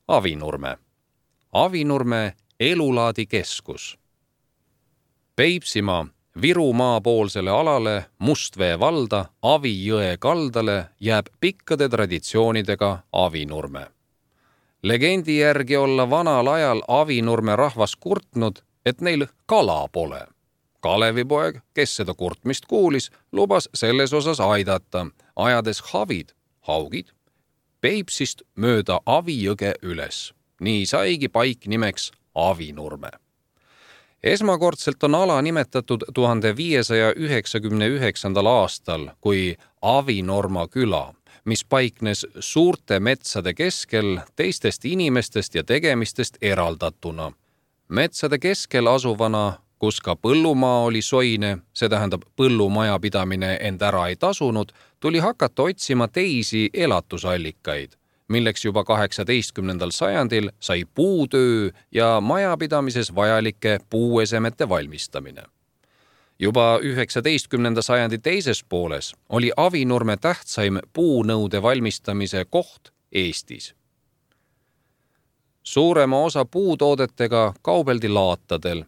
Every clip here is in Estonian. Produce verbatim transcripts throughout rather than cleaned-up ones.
Avinurme. Avinurme elulaadikeskus. Peipsimaa Virumaa poolsele alale Mustvee valda Avijõe kaldale jääb pikkade traditsioonidega Avinurme. Legendi järgi olla vanal ajal Avinurme rahvas kurtnud, et neil kala pole. Kalevipoeg, kes seda kurtmist kuulis, lubas selles osas aidata, ajades havid, haugid, Peipsist mööda Avijõge üles. Nii saigi paik nimeks Avinurme. Esmakordselt on ala nimetatud tuhande viiesaja üheksakümne üheksandal aastal kui Avinorma küla, mis paiknes suurte metsade keskel teistest inimestest ja tegemistest eraldatuna. Metsade keskel asuvana, kus ka põllumaa oli soine, see tähendab põllumajapidamine end ära ei tasunud, tuli hakata otsima teisi elatusallikaid, milleks juba kaheksateistkümnendal sajandil sai puutöö ja majapidamises vajalike puuesemete valmistamine. Juba üheksateistkümnenda sajandi teises pooles oli Avinurme tähtsaim puunõude valmistamise koht Eestis. Suurema osa puutoodetega kaubeldi laatadel.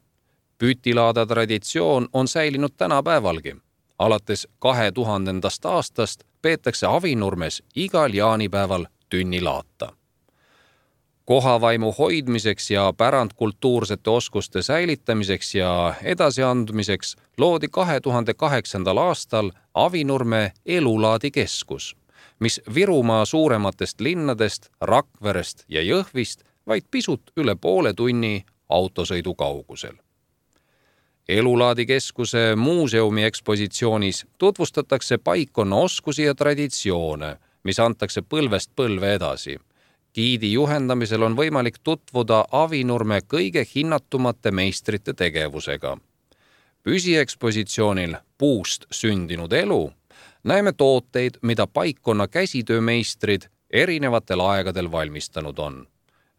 Pütilaada traditsioon on säilinud tänapäevalgi. Alates kahe tuhandendast aastast peetakse Avinurmes igal jaanipäeval tünnilaata. Kohavaimu hoidmiseks ja pärandkultuursete oskuste säilitamiseks ja edasiandmiseks loodi kahe tuhande kaheksandal aastal Avinurme elulaadikeskus, mis Virumaa suurematest linnadest, Rakverest ja Jõhvist vaid pisut üle poole tunni autosõidu kaugusel. Elulaadikeskuse muuseumi ekspositsioonis tutvustatakse paikkonna oskusi ja traditsioone, mis antakse põlvest põlve edasi. Giidi juhendamisel on võimalik tutvuda Avinurme kõige hinnatumate meistrite tegevusega. Püsiekspositsioonil Puust sündinud elu näeme tooteid, mida paikkonna käsitöömeistrid erinevatel aegadel valmistanud on.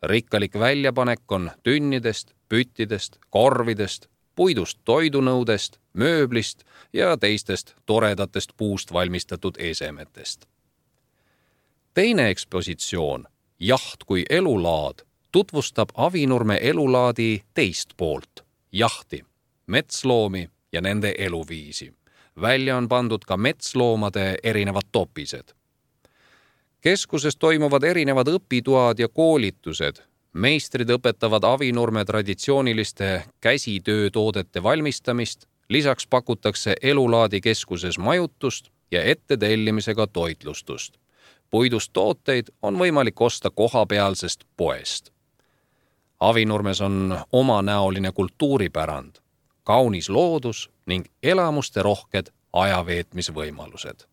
Rikkalik väljapanek on tünnidest, püttidest, korvidest, puidust toidunõudest, mööblist ja teistest toredatest puust valmistatud esemetest. Teine ekspositsioon, Jaht kui elulaad, tutvustab Avinurme elulaadi teist poolt, jahti, metsloomi ja nende eluviisi. Välja on pandud ka metsloomade erinevad topised. Keskuses toimuvad erinevad õpitoad ja koolitused. Meistrid õpetavad Avinurme traditsiooniliste käsitöötoodete valmistamist, lisaks pakutakse elulaadikeskuses majutust ja ettetellimisega toitlustust. Puidust tooteid on võimalik osta kohapealsest poest. Avinurmes on omanäoline kultuuripärand, kaunis loodus ning elamuste rohked ajaveetmisvõimalused.